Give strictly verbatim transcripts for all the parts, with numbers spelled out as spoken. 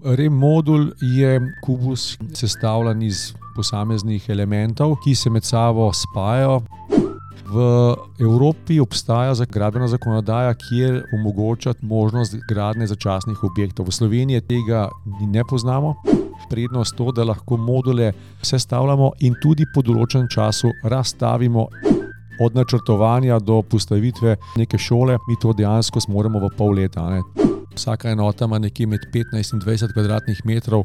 REM modul je kubus sestavljen iz posameznih elementov, ki se med sabo spajajo. V Evropi obstaja gradbena zakonodaja, kjer omogoča možnost gradnje začasnih objektov. V Sloveniji tega ne poznamo. Prednost to, da lahko module sestavljamo in tudi po določenem času razstavimo. Od načrtovanja do postavitve neke šole, mi to dejansko zmoremo v pol leta. Ne. Vsaka enota ima nekje med petnajst in dvajset kvadratnih metrov.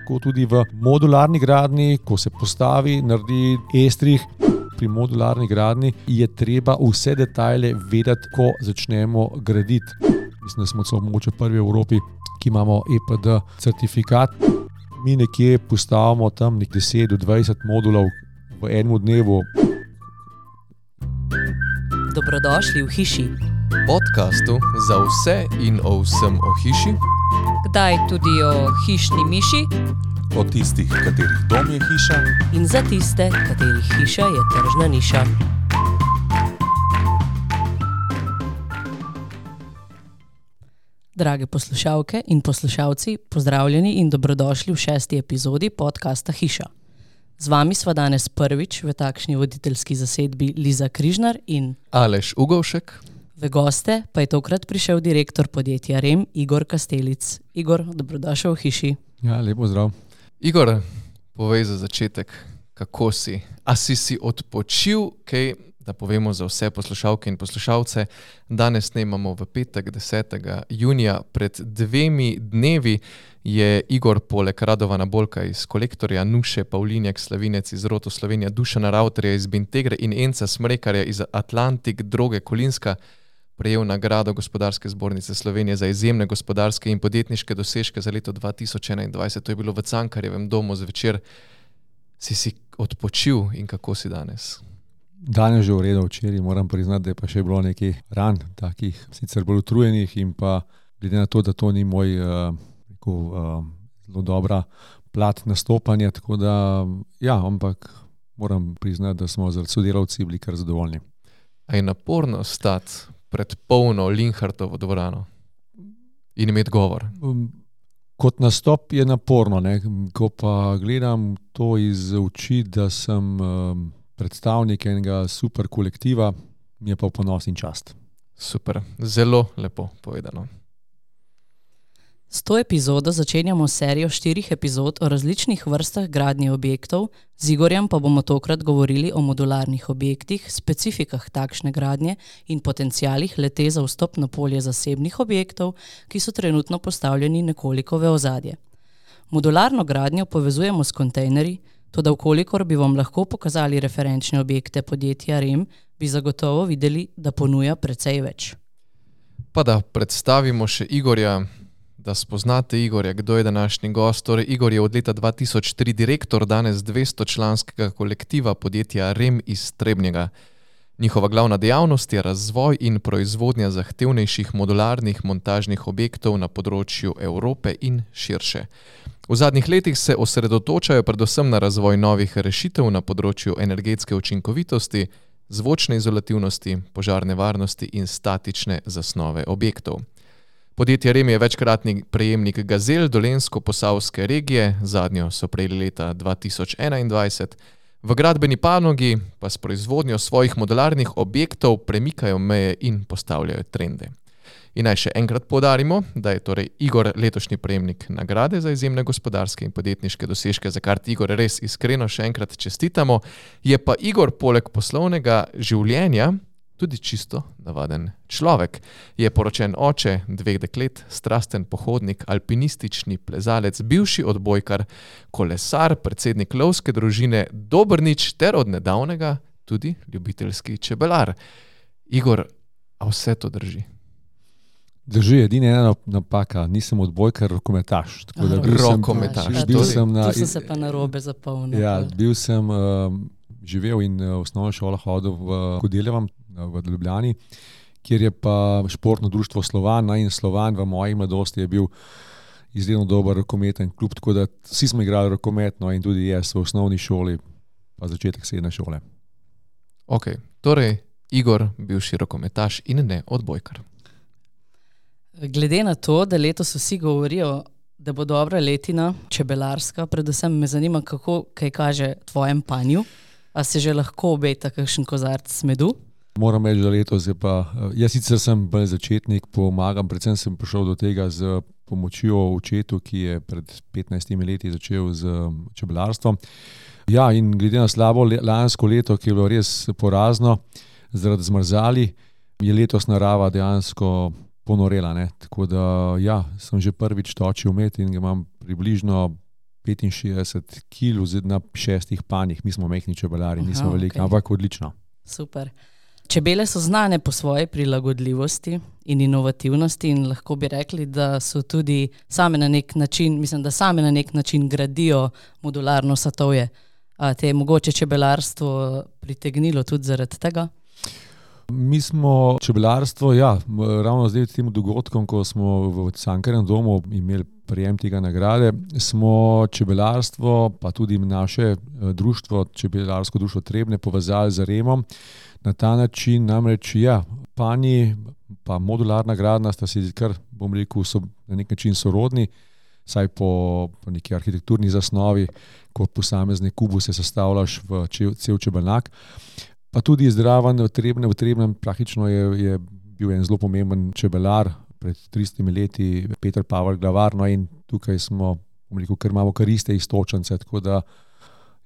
Ko tudi v modularni gradnji, ko se postavi, naredi estrih, pri modularni gradnji je treba vse detajle vedeti, ko začnemo graditi. Mislim, da smo celo mogoče prvi v Evropi, ki imamo E P D certifikat. Mi nekje postavimo tam nek deset do dvajset modulov v enem dnevu. Dobrodošli v hiši. Podcastu za vse in o vsem o hiši. Kdaj tudi o hišni miši. O tistih, katerih dom je hiša. In za tiste, katerih hiša je tržna niša. Drage poslušalke in poslušalci, pozdravljeni in dobrodošli v šesti epizodi podcasta Hiša. Z vami sva danes prvič v takšni voditeljski zasedbi Liza Križnar in Aleš Ugovšek. V goste pa je tokrat prišel direktor podjetja REM Igor Kastelic. Igor, dobrodošel v hiši. Ja, lepo zdrav. Igor, povej za začetek, kako si? A si si odpočil, kaj, da povemo za vse poslušalke in poslušalce. Danes snemamo v petek desetega junija. Pred dvemi dnevi je Igor poleg Radovana Bolka iz Kolektorja, Nuše Pavlinjak Slavinec iz Roto Slovenija, Dušana Ravterja iz Bintegre in Enca Smrekarja iz Atlantik Droge Kolinska prejel nagrado Gospodarske zbornice Slovenije za izjemne gospodarske in podjetniške dosežke za leto dva tisoč enaindvajset. To je bilo v Cankarjevem domu zvečer. Si si odpočil in kako si danes? Danes že v redu, včeraj moram priznati, da je pa še bilo nekaj ran, takih sicer bolj utrujenih in pa glede na to, da to ni moj uh, rekel, uh, zelo dobra plat nastopanja, tako da ja, ampak moram priznati, da smo zaradi sodelavci bili kar zadovoljni. A je naporno stati pred polno Linhartovo dvorano in imeti govor? Um, kot nastop je naporno, ne? Ko pa gledam to iz oči, da sem um, predstavnik enega super kolektiva, mi je pa ponos in čast. Super, zelo lepo povedano. S to epizodo začenjamo serijo štirih epizod o različnih vrstah gradnje objektov, z Igorjem pa bomo tokrat govorili o modularnih objektih, specifikah takšne gradnje in potencialih le-te za vstop na polje zasebnih objektov, ki so trenutno postavljeni nekoliko v ozadje. Modularno gradnjo povezujemo s kontejnerji, toda vkolikor bi vam lahko pokazali referenčne objekte podjetja REM, bi zagotovo videli, da ponuja precej več. Pa da predstavimo še Igorja, da spoznate Igorja, kdo je današnji gost. Torej, Igor je od leta dva tisoč tri direktor danes dvestočlanskega kolektiva podjetja REM iz Trebnjega. Njihova glavna dejavnost je razvoj in proizvodnja zahtevnejših modularnih montažnih objektov na področju Evrope in širše. V zadnjih letih se osredotočajo predvsem na razvoj novih rešitev na področju energetske učinkovitosti, zvočne izolativnosti, požarne varnosti in statične zasnove objektov. Podjetje REM je večkratni prejemnik Gazel Dolenjsko-Posavske regije, zadnjo so prejeli leta dva tisoč enaindvajset. V gradbeni panogi pa s proizvodnjo svojih modularnih objektov premikajo meje in postavljajo trende. In naj še enkrat poudarimo, da je torej Igor letošnji prejemnik nagrade za izjemne gospodarske in podjetniške dosežke, za kar ti Igor res iskreno še enkrat čestitamo. Je pa Igor poleg poslovnega življenja tudi čisto navaden človek. Je poročen oče dveh deklet, strasten pohodnik, alpinistični plezalec, bivši odbojkar, kolesar, predsednik lovske družine Dobrnič ter od nedavnega tudi ljubiteljski čebelar. Igor, a vse to drži? Drži, edina ena napaka, nisem odbojkar, rokometaš. Tako da bil rokometaš. Sem, bil sem na, tu sem se pa narobe zapolnil. Ja, bil sem, um, živel in v osnovno šolo hodil v Kodeljevam, v Ljubljani, kjer je pa športno društvo Slovan, in Slovan v moji mladosti je bil izredno dober rokometen klub, tako da vsi smo igrali rokometno in tudi jaz v osnovni šoli, pa začetek srednje šole. Ok, torej Igor, bivši rokometaš in ne odbojkar. Glede na to, da letos vsi govorijo, da bo dobra letina, čebelarska, predvsem me zanima, kako kaj kaže tvojem panju. A se že lahko obeta kakšen kozarc medu? Moram reči, da letos je pa, jaz sicer sem bolj začetnik, pomagam, predvsem sem prišel do tega z pomočjo očetu, ki je pred petnajstimi leti začel z čebelarstvom. Ja, in glede na slabo lansko leto, ki je bilo res porazno, zaradi zmrzali, je letos narava dejansko ponorela, ne. Tako da, ja, sem že prvič točil med in ga imam približno petinšestdeset kilogramov na šestih panjih. Mi smo mehni čebelari, nismo Aha, veliki, okej. ampak odlično. Super. Čebele so znane po svoji prilagodljivosti in inovativnosti in lahko bi rekli, da so tudi same na nek način, mislim, da same na nek način gradijo modularno satovje. A te je mogoče čebelarstvo pritegnilo tudi zaradi tega? Mi smo čebelarstvo, ja, ravno zdaj tem dogodkom, ko smo v Cankarjevem domu imeli prejem tega nagrade, smo čebelarstvo, pa tudi naše društvo, čebelarsko društvo Trebnje, povezali z Remom. Na ta način namreč, ja, panji pa modularna gradnja sta si kar, bom rekel, so na nek način sorodni, saj po, po neki arhitekturni zasnovi, ko posamezne kubuse sestavljaš v če, cel čebelnjak. Pa tudi zdraven v Trebnjem, v Trebnjem praktično je, je bil en zelo pomemben čebelar pred tristimi leti, Peter Pavel Glavar, no in tukaj smo, bom rekel, ker imamo kar iste istočnice, tako da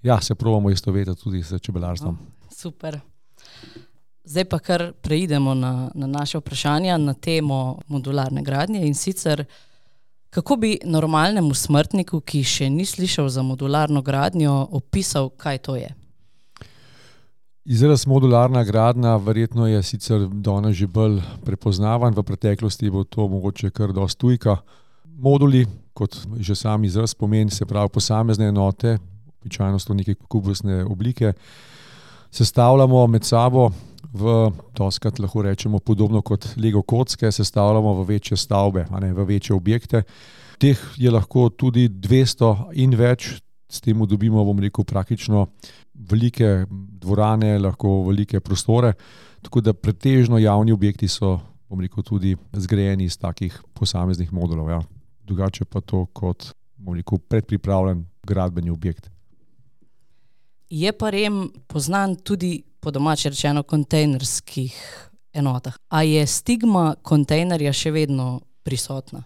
ja, se probamo istovetiti tudi s čebelarstvom. Oh, super. Zdaj pa kar preidemo na, na naše vprašanja na temo modularne gradnje in sicer, kako bi normalnemu smrtniku, ki še ni slišal za modularno gradnjo, opisal, kaj to je? Izraz modularna gradnja verjetno je sicer danes že bolj prepoznavan, v preteklosti bo to mogoče kar dosti tujka. Moduli, kot že sam izraz pomeni, se pravi posamezne enote, običajno so neke kubusne oblike, sestavljamo med sabo v, dostikrat lahko rečemo podobno kot Lego kocke, sestavljamo v večje stavbe, a ne, v večje objekte. Teh je lahko tudi dvesto in več, s tem dobimo, bom rekel, praktično velike dvorane, lahko velike prostore, tako da pretežno javni objekti so, bom rekel, tudi zgrajeni iz takih posameznih modulov. Ja. Drugače pa to kot, bom rekel, predpripravljen gradbeni objekt. Je pa Rem poznan tudi po domače rečeno kontejnerskih enotah. A je stigma kontejnerja še vedno prisotna?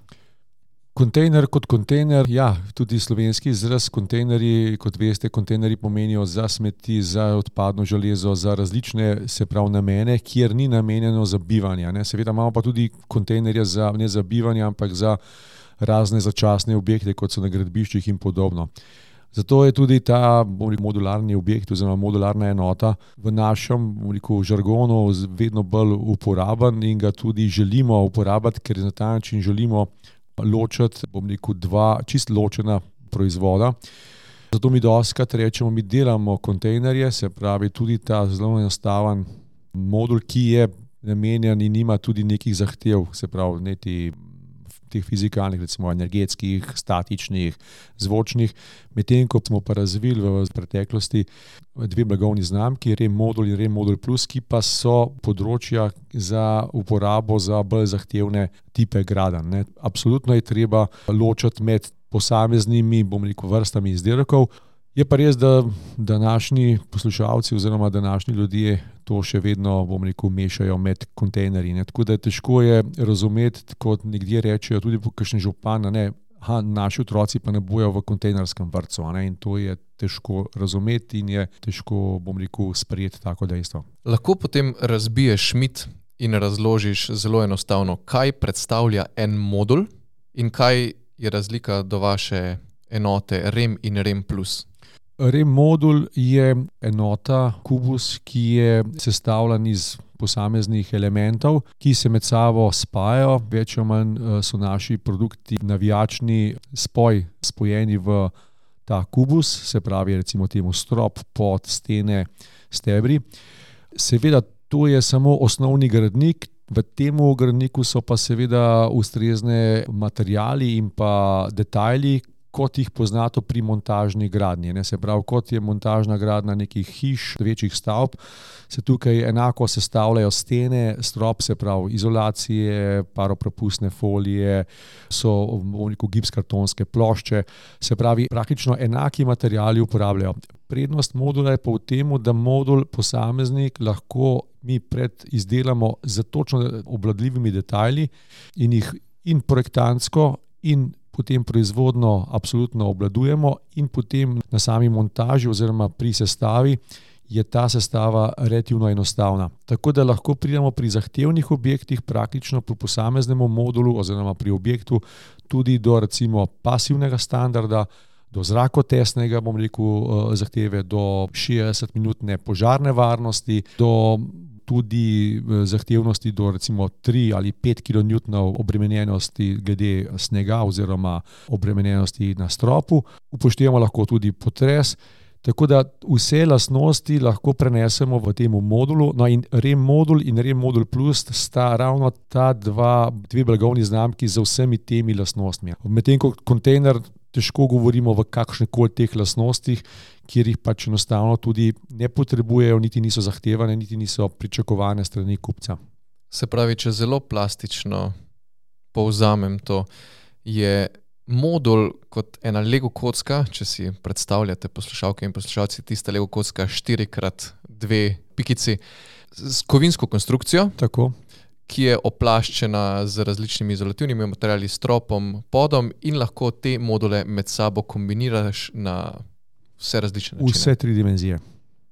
Kontejner kot kontejner, ja, tudi slovenski izraz kontejnerji, kot veste, kontejnerji pomenijo za smeti, za odpadno železo, za različne, se pravi, namene, kjer ni namenjeno za bivanje, ne. Seveda imamo pa tudi kontejnerje za, ne za bivanje, ampak za razne začasne objekte, kot so na gradbiščih in podobno. Zato je tudi ta, bom rekel, modularni objekt oziroma modularna enota v našem, bom rekel, žargonu vedno bolj uporaben in ga tudi želimo uporabljati, ker na ta način želimo ločiti, bom rekel, dva čist ločena proizvoda. Zato mi dostikrat rečemo, mi delamo kontejnerje, se pravi tudi ta zelo enostaven modul, ki je namenjen in ima tudi nekih zahtev, se pravi neti teh fizikalnih, recimo energetskih, statičnih, zvočnih, medtem ko smo pa razvili v preteklosti dve blagovni znamki, Rem Modul in Rem Modul Plus, ki pa so področja za uporabo za bolj zahtevne tipe gradenj, ne. Absolutno je treba ločiti med posameznimi, bom rekel, vrstami izdelkov. Je pa res, da današnji poslušalci oziroma današnji ljudje to še vedno, bom rekel, mešajo med kontejnerji, ne. Tako da težko je razumeti, kot nekje rečejo, tudi po kakšen župan, ne, ha, naši otroci pa ne bojo v kontejnerskem vrtcu, ne, in to je težko razumeti in je težko, bom rekel, sprejeti tako dejstvo. Lahko potem razbiješ mit in razložiš zelo enostavno, kaj predstavlja en modul in kaj je razlika do vaše enote Rem in Rem Plus? Rem Modul je enota, kubus, ki je sestavljen iz posameznih elementov, ki se med sabo spajajo. Več ali manj so naši produkti navijačni spoj, spojeni v ta kubus, se pravi recimo temu strop, pod, stene, stebri. Seveda to je samo osnovni gradnik, v temu gradniku so pa seveda ustrezne materiali in pa detajli, kot jih poznato pri montažni gradnji. Ne? Se pravi, kot je montažna gradnja nekih hiš, večjih stavb, se tukaj enako sestavljajo stene, strop, se pravi izolacije, paropropustne folije, so gipskartonske plošče, se pravi, praktično enaki materiali uporabljajo. Prednost modula je pa v tem, da modul posameznik lahko mi predizdelamo z točno obvladljivimi detajli in jih in projektantsko in potem proizvodno absolutno obvladujemo in potem na sami montaži oziroma pri sestavi je ta sestava relativno enostavna. Tako da lahko pridemo pri zahtevnih objektih praktično pri posameznemu modulu oziroma pri objektu tudi do recimo pasivnega standarda, do zrakotesnega, bom rekel, zahteve, do šestdeset minutne požarne varnosti, do tudi zahtevnosti do recimo tri ali pet kilonewtonov obremenjenosti glede snega oziroma obremenjenosti na stropu. Upoštevamo lahko tudi potres, tako da vse lastnosti lahko prenesemo v tem modulu. No in R E M modul in R E M modul plus sta ravno ta dva, dve blagovni znamki z vsemi temi lastnostmi. Medtem ko kontejner težko govorimo v kakšnekoli teh lastnostih, kjer jih pač enostavno tudi ne potrebujejo, niti niso zahtevane, niti niso pričakovane strani kupca. Se pravi, če zelo plastično povzamem to, je modul kot ena Lego kocka, če si predstavljate poslušalke in poslušalci, tista Lego kocka štiri krat dve pikici s kovinsko konstrukcijo. Tako. Ki je oplaščena z različnimi izolativnimi materiali, stropom, podom in lahko te module med sabo kombiniraš na vse različne načine. Vse tri dimenzije.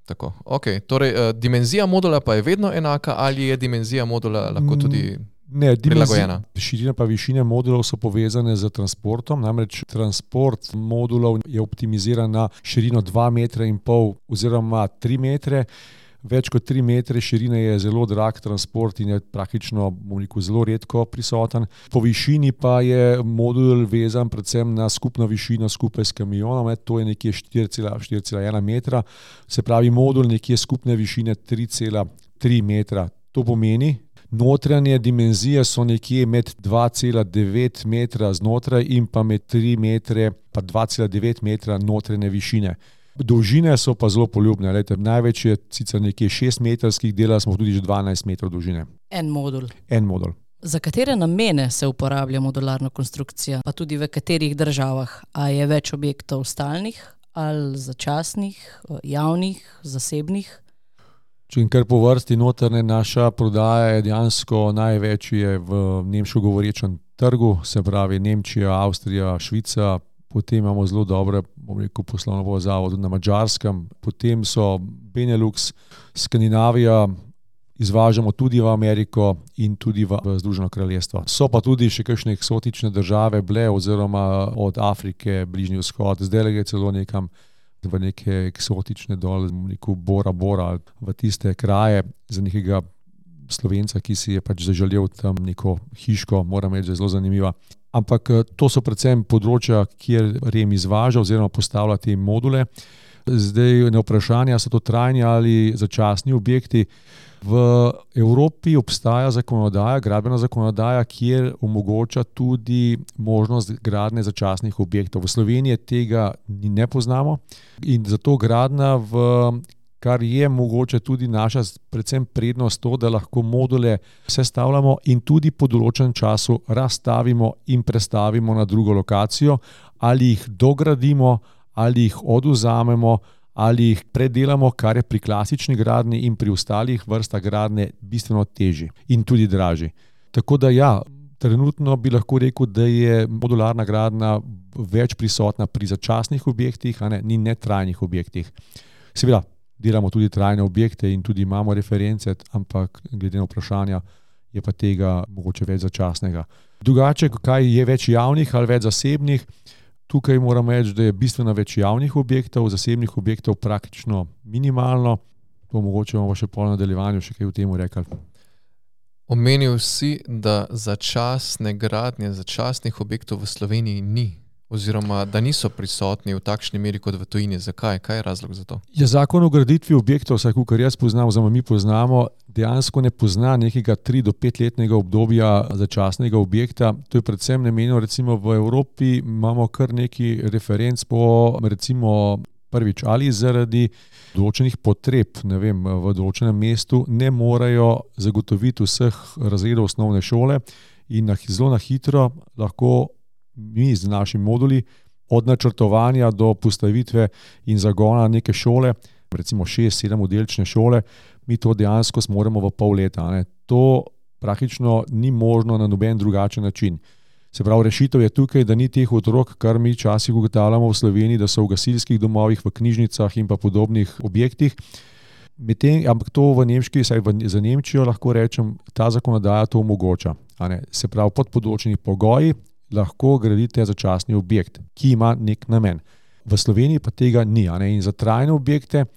Tako, ok. Torej, uh, dimenzija modula pa je vedno enaka ali je dimenzija modula lahko tudi ne, prilagojena? Širina pa višine modulov so povezane z transportom, namreč transport modulov je optimiziran na širino dva metra in pol oziroma tri metre. Več kot tri metre širine je zelo drag transport in je praktično, bom rekel, zelo redko prisoten. Po višini pa je modul vezan predvsem na skupno višino skupaj s kamionom, to je nekje štiri cela ena metra, se pravi modul nekje skupne višine tri cela tri metra. To pomeni, notranje dimenzije so nekje med dva cela devet metra znotraj in pa med tri metre pa dva cela devet metra notranje višine. Dolžine so pa zelo poljubne. Lejte, največ je sicer nekje šest metrskih, dela smo tudi že dvanajst metrov dolžine. En modul. En modul. Za katere namene se uporablja modularna konstrukcija, pa tudi v katerih državah? A je več objektov stalnih ali začasnih, javnih, zasebnih? Če in kar po vrsti notrne, naša prodaja je dejansko največ je v nemško govorečem trgu, se pravi Nemčija, Avstrija, Švica, potem imamo zelo dobre, bom rekel, poslovno povezavo tudi na Madžarskem, potem so Benelux, Skandinavija, izvažamo tudi v Ameriko in tudi v, v Združeno kraljestvo. So pa tudi še kakšne eksotične države bile oziroma od Afrike, Bližnji vzhod, zdaj je celo nekam v neke eksotične dol, bom rekel, Bora Bora, v tiste kraje za nekega Slovenca, ki si je pač zaželel tam neko hiško, moram reči, zelo zanimiva. Ampak to so predvsem področja, kjer R E M izvaža oziroma postavlja te module. Zdaj na vprašanje, so to trajni ali začasni objekti. V Evropi obstaja zakonodaja, gradbena zakonodaja, kjer omogoča tudi možnost gradnje začasnih objektov. V Sloveniji tega ne poznamo in zato gradnja v kar je mogoče tudi naša predvsem prednost to, da lahko module sestavljamo in tudi po določenem času razstavimo in prestavimo na drugo lokacijo, ali jih dogradimo, ali jih odvzamemo, ali jih predelamo, kar je pri klasični gradnji in pri ostalih vrstah gradnje bistveno težji in tudi dražji. Tako da ja, trenutno bi lahko rekel, da je modularna gradnja več prisotna pri začasnih objektih, a ne, ni netrajnih objektih. Seveda, delamo tudi trajne objekte in tudi imamo reference, ampak glede na vprašanja je pa tega mogoče več začasnega. Drugače, kaj je več javnih ali več zasebnih, tukaj moram reči, da je bistveno več javnih objektov, zasebnih objektov praktično minimalno. To mogoče bomo še po nadaljevanju še kaj v temu rekli. Omenil si, da začasne gradnje začasnih objektov v Sloveniji ni. oziroma da niso prisotni v takšni meri kot v tujini. Zakaj? Kaj je razlog za to? Ja, zakon o graditvi objektov, vsaj kar jaz poznam, oziroma mi poznamo, dejansko ne pozna nekega tri do pet letnega obdobja začasnega objekta. To je predvsem namenjeno, recimo v Evropi imamo kar nekaj referenc po, recimo prvič, ali zaradi določenih potreb, ne vem, v določenem mestu ne morejo zagotoviti vseh razredov osnovne šole in na, zelo na hitro lahko mi z našimi moduli od načrtovanja do postavitve in zagona neke šole, recimo šest, sedem oddelčne šole, mi to dejansko zmoremo v pol leta. Ne. To praktično ni možno na noben drugačen način. Se pravi, rešitev je tukaj, da ni teh otrok, kar mi včasih ugotavljamo v Sloveniji, da so v gasilskih domovih, v knjižnicah in pa podobnih objektih. Medtem, ampak to v Nemški, saj v, za Nemčijo lahko rečem, ta zakonodaja to omogoča. A ne. Se pravi, pod področeni pogoji lahko gradite začasni objekt, ki ima nek namen. V Sloveniji pa tega ni. A ne. In za trajne objekte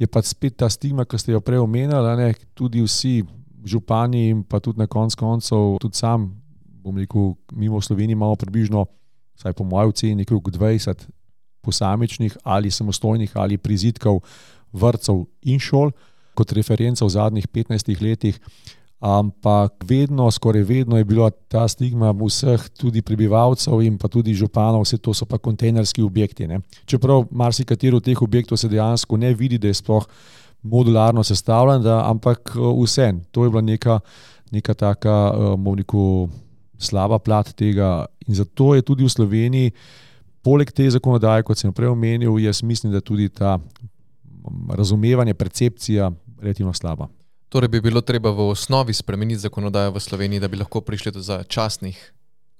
je pa spet ta stigma, ki ste jo prej omenjali, ne. Tudi vsi župani in pa tudi na konc koncev, tudi sam, bom rekel, mimo v Sloveniji imamo približno, vsaj po moji oceni, nekaj dvajset posamičnih ali samostojnih ali prizidkov vrtcev in šol kot referenca v zadnjih petnajstih letih, ampak vedno, skoraj vedno je bila ta stigma vseh tudi prebivalcev in pa tudi županov, vse to so pa kontejnerski objekti. Ne. Čeprav marsikateri od teh objektov se dejansko ne vidi, da je sploh modularno sestavljen, da, ampak vse, to je bila neka, neka taka, bom rekel, slaba plat tega in zato je tudi v Sloveniji, poleg te zakonodaje, kot sem prej omenil, jaz mislim, da tudi ta razumevanje, percepcija relativno slaba. Torej bi bilo treba v osnovi spremeniti zakonodajo v Sloveniji, da bi lahko prišli do začasnih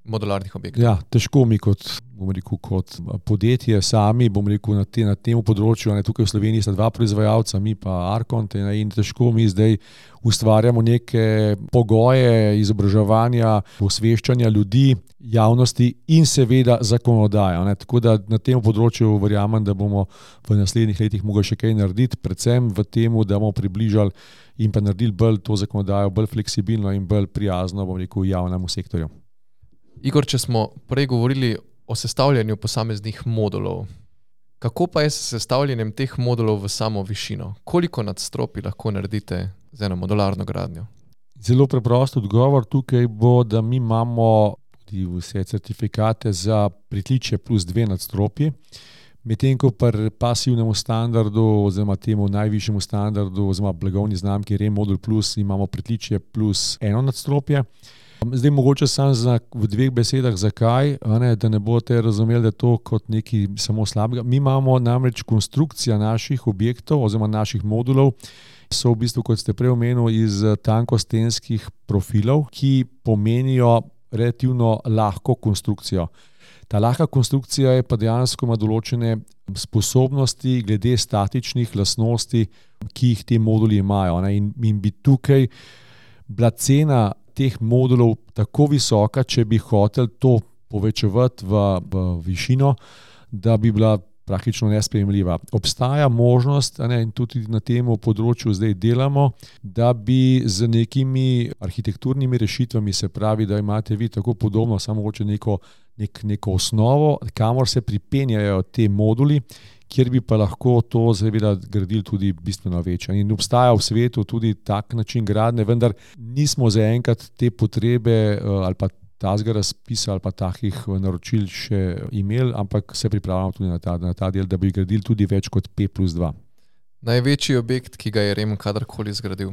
modularnih objektov. Ja, težko mi kot, bom rekel, kot podjetje sami, bom rekel, na, te, na tem področju, ne, tukaj v Sloveniji sta dva proizvajalca, mi pa Arkont, ne, in težko mi zdaj ustvarjamo neke pogoje izobraževanja, osveščanja ljudi, javnosti in seveda zakonodajo. Ne. Tako da na tem področju verjamem, da bomo v naslednjih letih mogli še kaj narediti, predvsem v tem, da bomo približali in pa naredili bolj to zakonodajo, bolj fleksibilno in bolj prijazno, bom rekel, javnemu sektorju. Igor, če smo prej govorili o sestavljanju posameznih modulov, kako pa je s sestavljanjem teh modulov v samo višino? Koliko nadstropij lahko naredite z eno modularno gradnjo? Zelo preprost odgovor tukaj bo, da mi imamo tudi vse certifikate za pritličje plus dve nadstropji, medtem ko pri pasivnemu standardu oziroma temu najvišjemu standardu oziroma blagovni znamki REM Modul Plus imamo pritličje plus eno nadstropje. Zdaj mogoče samo za, v dveh besedah zakaj, ne, da ne boste razumeli, da je to kot nekaj samo slabega. Mi imamo namreč konstrukcija naših objektov oziroma naših modulov, so v bistvu, kot ste prej omenili, iz tankostenskih profilov, ki pomenijo relativno lahko konstrukcijo. Ta lahka konstrukcija je pa dejansko ima določene sposobnosti glede statičnih lastnosti, ki jih te moduli imajo. Ne, in, in bi tukaj bila cena teh modulov tako visoka, če bi hotel to povečevati v, v višino, da bi bila praktično nesprejemljiva. Obstaja možnost, ne, in tudi na tem področju zdaj delamo, da bi z nekimi arhitekturnimi rešitvami, se pravi, da imate vi tako podobno, samo mogoče neko, nek, neko osnovo, kamor se pripenjajo te moduli, kjer bi pa lahko to seveda gradili tudi bistveno večje. In obstaja v svetu tudi tak način gradnje, vendar nismo zaenkrat te potrebe ali pa tazga razpisa ali pa takih naročil še imeli, ampak se pripravljamo tudi na ta, na ta del, da bi gradili tudi več kot pet plus dva. Največji objekt, ki ga je REM kadarkoli zgradil?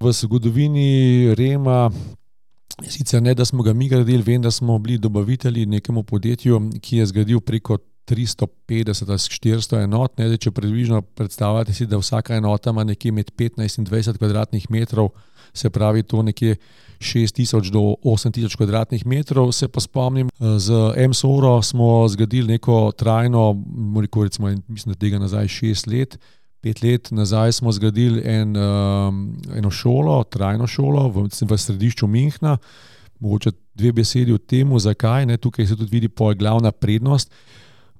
V zgodovini REM-a, sicer ne, da smo ga mi gradili, vem, da smo bili dobavitelji nekemu podjetju, ki je zgradil preko tristo petdeset ali štiristo enot, ne, če približno predstavljate si, da vsaka enota ima nekje med petnajst in dvajset kvadratnih metrov, se pravi to nekje šest tisoč do osem tisoč kvadratnih metrov. Se pa spomnim, z M-Soro smo zgradili neko trajno, recimo, mislim, da tega nazaj šest let, pet let nazaj smo zgradili en, um, eno šolo, trajno šolo v, v središču Münchna. Mogoče dve besedi o temu, zakaj, ne, tukaj se tudi vidi pol glavna prednost.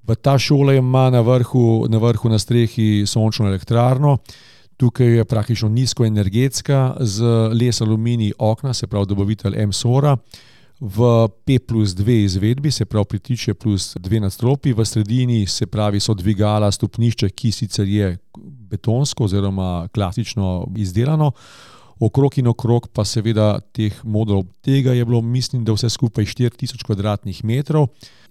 V ta šola ima na vrhu, na vrhu na strehi sončno elektrarno, tukaj je praktično nizkoenergetska z les aluminij okna, se pravi dobavitelj M-Sora. v P plus dve izvedbi, se pravi pritiče plus dve nadstropji, v sredini se pravi so dvigala stopnišče, ki sicer je betonsko oziroma klasično izdelano, okrog in okrog pa seveda teh modulov. Tega je bilo, mislim, da vse skupaj štiri tisoč kvadratnih metrov.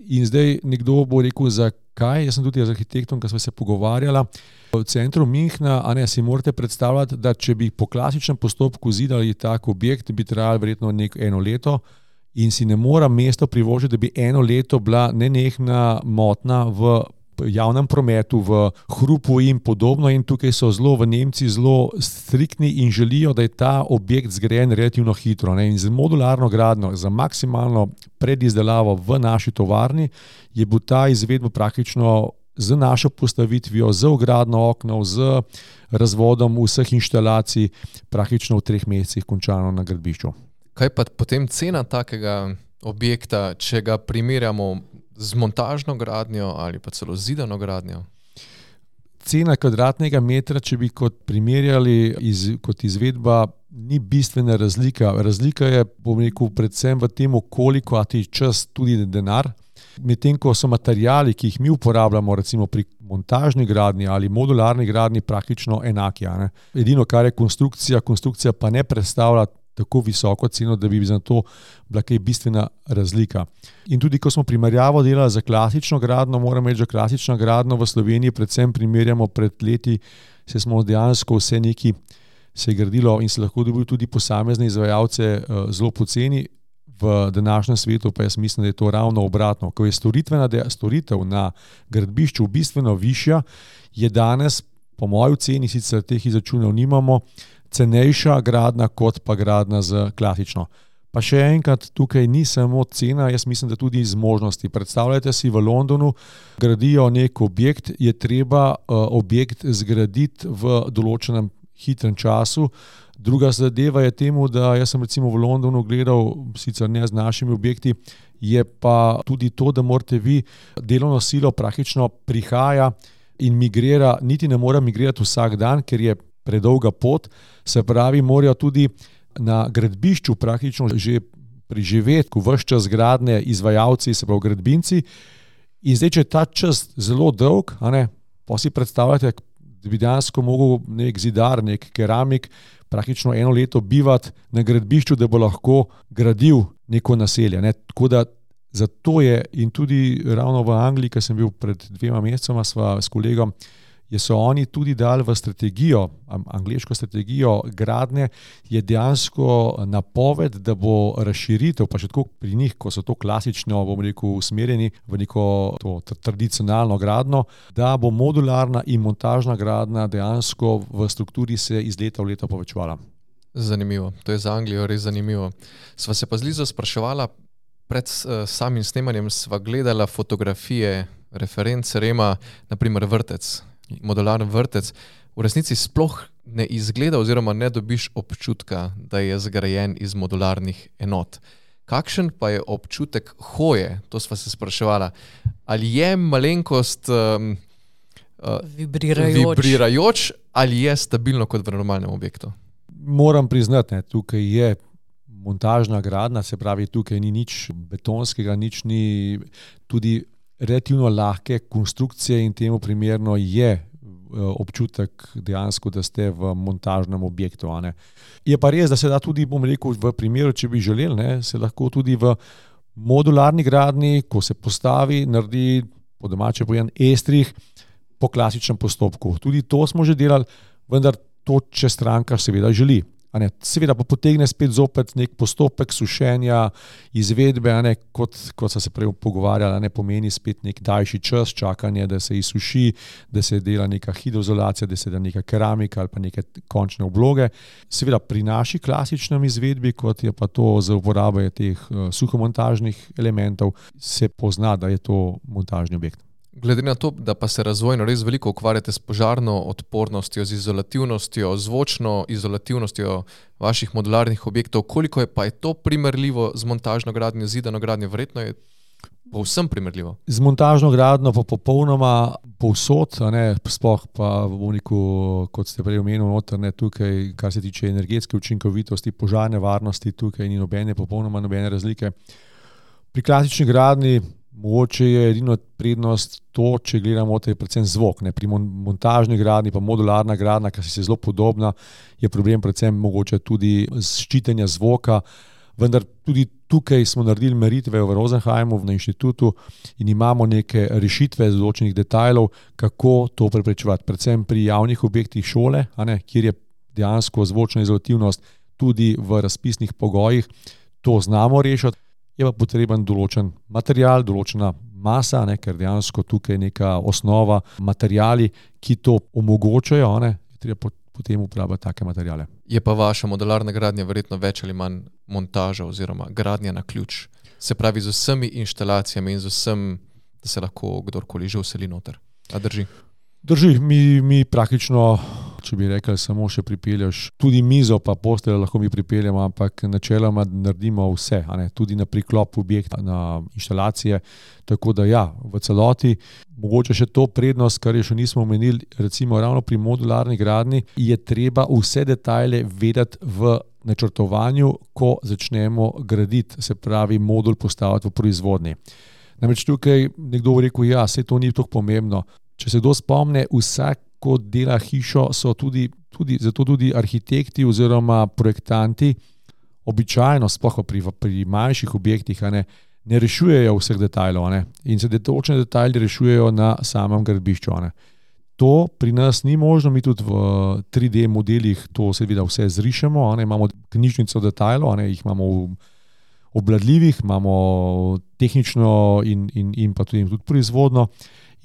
In zdaj nekdo bo rekel, zakaj, jaz sem tudi z arhitektom, ki smo se pogovarjala, v centru Münchna, a ne, si morate predstavljati, da če bi po klasičnem postopku zidali tak objekt, bi trajali verjetno nek eno leto in si ne mora mesto privoščiti, da bi eno leto bila nenehna motnja v javnem prometu, v hrupu in podobno, in tukaj so zelo v Nemci zelo striktni in želijo, da je ta objekt zgrajen relativno hitro, ne? In z modularno gradnjo, za maksimalno predizdelavo v naši tovarni je bil ta izvedba praktično z našo postavitvijo, z vgradno oknov, z razvodom vseh inštalacij praktično v treh mesecih končano na gradbišču. Kaj pa potem cena takega objekta, če ga primerjamo z montažno gradnjo ali pa celo zidano gradnjo? Cena kvadratnega metra, če bi kot primerjali iz, kot izvedba, ni bistvena razlika. Razlika je, bom rekel, predvsem v tem, koliko a ti čas tudi denar. Medtem ko so materiali, ki jih mi uporabljamo recimo pri montažni gradnji ali modularni gradnji, praktično enaki. Ne? Edino, kar je konstrukcija, konstrukcija pa ne predstavlja tako visoko ceno, da bi za to bila kaj bistvena razlika. In tudi, ko smo primerjavo delali za klasično gradnjo, moram reči, da klasično gradnjo v Sloveniji predvsem primerjamo pred leti, se smo dejansko vse neki se je gradilo in se lahko dobili tudi posamezne izvajalce uh, zelo poceni. V današnjem svetu pa jaz mislim, da je to ravno obratno. Ko je storitvena storitev na gradbišču bistveno višja, je danes, po moji oceni, sicer teh izračunov nimamo, cenejša gradnja kot pa gradnja z klasično. Pa še enkrat, tukaj ni samo cena, jaz mislim, da tudi zmožnosti. Predstavljajte si, v Londonu gradijo nek objekt, je treba uh, objekt zgraditi v določenem hitrem času. Druga zadeva je temu, da jaz sem recimo v Londonu gledal, sicer ne z našimi objekti, je pa tudi to, da morate vi delovno silo praktično prihaja in migrira, niti ne mora migrirati vsak dan, ker je predolga pot, se pravi, morajo tudi na gradbišču praktično že preživeti, ko ves čas gradnje izvajalci, se pravi gradbinci. In zdaj, če je ta čas zelo dolg, a ne, pa si predstavljate, da bi dejansko mogel nek zidar, nek keramik praktično eno leto bivati na gradbišču, da bo lahko gradil neko naselje. Ne. Tako da zato je, in tudi ravno v Angliji, ko sem bil pred dvema mesecoma sva s kolegom, je so oni tudi dali v strategijo, angleško strategijo gradnje, je dejansko napoved, da bo razširitev, pa še tako pri njih, ko so to klasično, bom rekel, usmerjeni v neko to tradicionalno gradnjo, da bo modularna in montažna gradnja dejansko v strukturi se iz leta v leto povečevala. Zanimivo, to je za Anglijo res zanimivo. Sva se pa z Lizo spraševala, pred uh, samim snemanjem sva gledala fotografije, reference Rema, naprimer vrtec. Modularni vrtec v resnici sploh ne izgleda oziroma ne dobiš občutka, da je zgrajen iz modularnih enot. Kakšen pa je občutek hoje? To sva se spraševala. Ali je malenkost um, uh, vibrirajoč. vibrirajoč ali je stabilno kot v normalnem objektu? Moram priznati, ne, tukaj je montažna gradnja, se pravi, tukaj ni nič betonskega, nič ni tudi relativno lahke konstrukcije in temu primerno je občutek dejansko, da ste v montažnem objektu. A ne. Je pa res, da se da tudi, bom rekel, v primeru, če bi želeli, ne, se lahko tudi v modularni gradnji, ko se postavi, naredi po domače povedano estrih po klasičnem postopku. Tudi to smo že delali, vendar to, če stranka seveda želi. A ne, seveda pa potegne spet zopet nek postopek sušenja, izvedbe, a ne, kot, kot so se prej pogovarjali, ne, pomeni spet nek daljši čas čakanja, da se izsuši, da se dela neka hidroizolacija, da se da neka keramika ali pa neke končne obloge. Seveda pri naši klasičnem izvedbi, kot je pa to za uporabo teh uh, suhomontažnih elementov, se pozna, da je to montažni objekt. Glede na to, da pa se razvojno res veliko ukvarjate s požarno odpornostjo, z izolativnostjo, zvočno izolativnostjo vaših modularnih objektov, koliko je pa je to primerljivo z montažno gradnjo, zidano gradnjo? Verjetno je povsem primerljivo. Z montažno gradnjo pa popolnoma povsod, a ne, sploh pa v uniku, kot ste prej omenili, noter, ne, tukaj, kar se tiče energetske učinkovitosti, požarne varnosti, tukaj ni nobene, popolnoma nobene razlike. Pri klasični gradnji mogoče je edino prednost to, če gledamo, to je predvsem zvok. Ne. Pri montažni gradnji pa modularna gradnja, ki se je zelo podobna, je problem predvsem mogoče tudi ščitenja zvoka, vendar tudi tukaj smo naredili meritve v Rosenheimu na inštitutu in imamo neke rešitve z določenih detajlov, kako to preprečevati. Predvsem pri javnih objektih šole, a ne, kjer je dejansko zvočna izolativnost tudi v razpisnih pogojih, to znamo rešiti. Je pa potreben določen material, določena masa, ne, ker dejansko tukaj je neka osnova, materiali, ki to omogočajo, ne, treba potem uporabljati take materiale. Je pa vaša modularna gradnja verjetno več ali manj montaža oziroma gradnja na ključ. Se pravi z vsemi inštalacijami in z vsem, da se lahko kdorkoli že vseli noter. A drži? Drži, mi, mi praktično, če bi rekel, samo še pripelješ, tudi mizo pa posteljo lahko mi pripeljamo, ampak načeloma naredimo vse, a ne, tudi na priklop objekta, na inštalacije, tako da ja, v celoti. Mogoče še to prednost, kar je še nismo omenili, recimo ravno pri modularni gradnji, je treba vse detajle vedeti v načrtovanju, ko začnemo graditi, se pravi modul postaviti v proizvodnji. Namreč tukaj nekdo bo rekel, ja, saj to ni tako pomembno. Če se kdo spomne, vsako dela hišo so tudi, tudi, zato tudi arhitekti oziroma projektanti običajno, sploh pri, pri manjših objektih, a ne, ne rešujejo vseh detajlov, a ne, in se določene detajli rešujejo na samem gradbišču. A ne. To pri nas ni možno, mi tudi v tri D modelih to seveda vse zrišemo, a ne, imamo knjižnico detajlov, a ne, jih imamo v obladljivih, imamo tehnično in, in, in pa tudi, tudi proizvodno.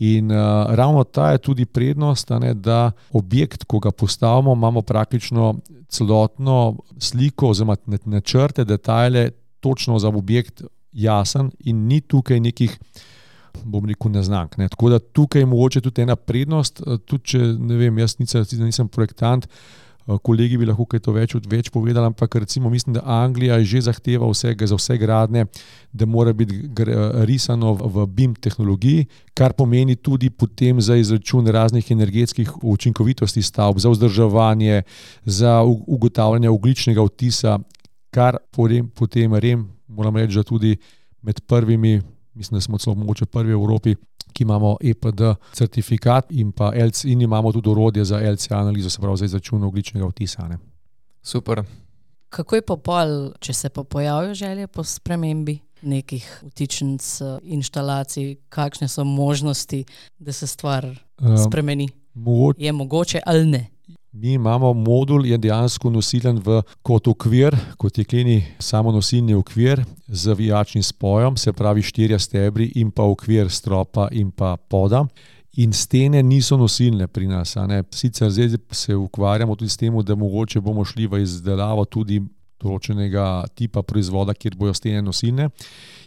In uh, ravno ta je tudi prednost, ne, da objekt, ko ga postavimo, imamo praktično celotno sliko oziroma načrte, detajle točno za objekt jasen in ni tukaj nekih, bom rekel, neznank. Ne. Tako da tukaj je mogoče tudi ena prednost, tudi če ne vem, jaz nisem, nisem projektant, kolegi bi lahko kaj to več, več povedali, ampak recimo mislim, da Anglija že zahteva vsega, za vse gradnje, da mora biti risano v B I M tehnologiji, kar pomeni tudi potem za izračun raznih energetskih učinkovitosti stavb, za vzdrževanje, za ugotavljanje ogljičnega odtisa, kar potem REM, moram reči, da tudi med prvimi, mislim, da smo celo mogoče prvi v Evropi, ki imamo E P D certifikat in pa L C, in imamo tudi orodje za L C analizo, se pravi za izračun ogljičnega odtisa. Ne. Super. Kako je pa pol, če se pa pojavijo želje po spremembi nekih vtičnic, inštalacij, kakšne so možnosti, da se stvar spremeni? Um, mogoče, je mogoče ali ne? Mi imamo modul, je dejansko nosilen v, kot okvir, kot jekleni samonosilni okvir z vijačnim spojem, se pravi štirje stebri in pa okvir stropa in pa poda. In stene niso nosilne pri nas. A ne. Sicer zdaj se ukvarjamo tudi s tem, da mogoče bomo šli v izdelavo tudi določenega tipa proizvoda, kjer bojo stene nosilne.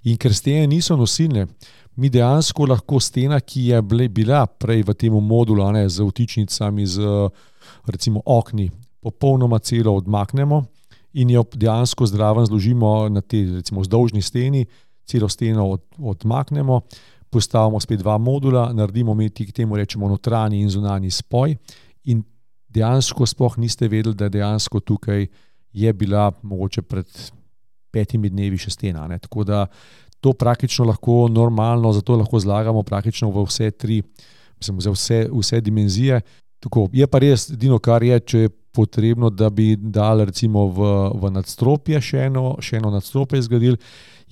In ker stene niso nosilne, mi dejansko lahko stena, ki je bila prej v tem modulu, a ne, z vtičnicami, z recimo okni, popolnoma celo odmaknemo in jo dejansko zdraven zložimo na te recimo vzdolžni steni, celo steno od, odmaknemo, postavimo spet dva modula, naredimo mi k temu rečemo notranji in zunanji spoj in dejansko sploh niste vedeli, da dejansko tukaj je bila mogoče pred petimi dnevi še stena. Ne? Tako da to praktično lahko normalno, zato lahko zlagamo praktično v vse tri, mislim, za vse, vse dimenzije. Tako, je pa res edino, kar je, če je potrebno, da bi dali recimo v, v nadstropje še eno, še eno nadstropje zgradili,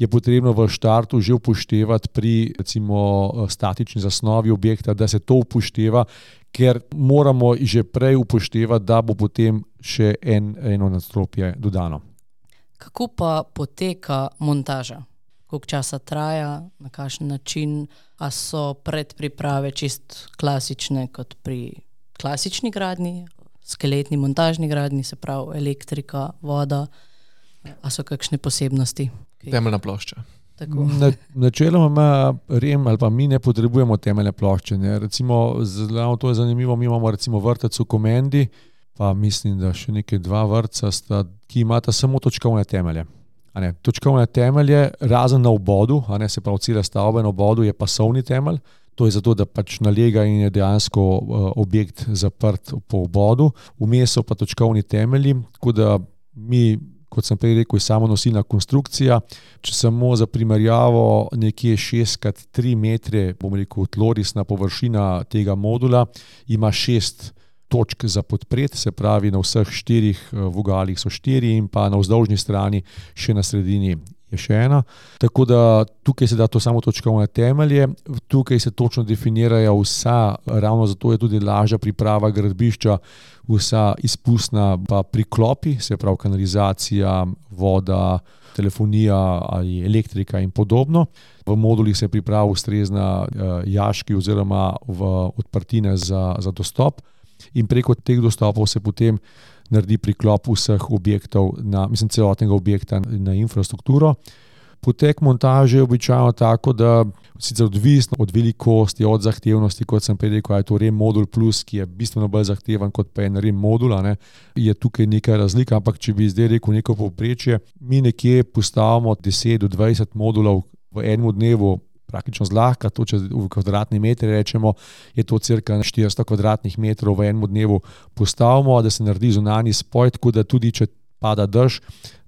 je potrebno v štartu že upoštevati pri recimo statični zasnovi objekta, da se to upošteva, ker moramo že prej upoštevati, da bo potem še en, eno nadstropje dodano. Kako pa poteka montaža? Koliko časa traja, na kakšen način, a so predpriprave čist klasične kot pri klasični gradnji, skeletni montažni gradnji, se pravi elektrika, voda, a so kakšne posebnosti? Temeljna plošča. Na, načeloma ima REM ali pa mi ne potrebujemo temeljne plošče. Ne. Recimo, zelo to je zanimivo, mi imamo recimo vrtec v Komendi, pa mislim, da še nekaj dva vrtca sta, ki imata samo točkovne temelje. A ne, točkovne temelje, razen na obodu, a ne, se pravi cela stavba na obodu je pasovni temelj, To je zato, da pač nalega in je dejansko objekt zaprt po obodu. Vmes so pa točkovni temelji, tako da mi, kot sem prej rekel, je samo nosilna konstrukcija. Če samo za primerjavo nekje šest krat tri metre, bom rekel, tlorisna površina tega modula, ima šest točk za podpret, se pravi na vseh štirih vogalih so štiri in pa na vzdolžni strani še na sredini je še ena. Tako da tukaj se da to samo točkovne temelje, tukaj se točno definirajo vsa, ravno zato je tudi lažja priprava gradbišča, vsa izpustna pa priklopi, se pravi kanalizacija, voda, telefonija ali elektrika in podobno. V modulih se pripravi ustrezna jaški oziroma v odprtine za, za dostop. In preko teh dostopov se potem naredi priklop vseh objektov, na, mislim celotnega objekta na infrastrukturo. Potek montaže je običajno tako, da sicer odvisno od velikosti, od zahtevnosti, kot sem prej rekel, je to REM modul plus, ki je bistveno bolj zahteven kot pa en REM modul, ne, je tukaj nekaj razlika, ampak če bi zdaj rekel neko povprečje, mi nekje postavimo deset do dvajset modulov v enem dnevu, praktično zlahka, to če v kvadratni metri rečemo, je to cirka štiristo kvadratnih metrov v enem dnevu postavimo, da se naredi zunanji spoj, tako da tudi če pada dež,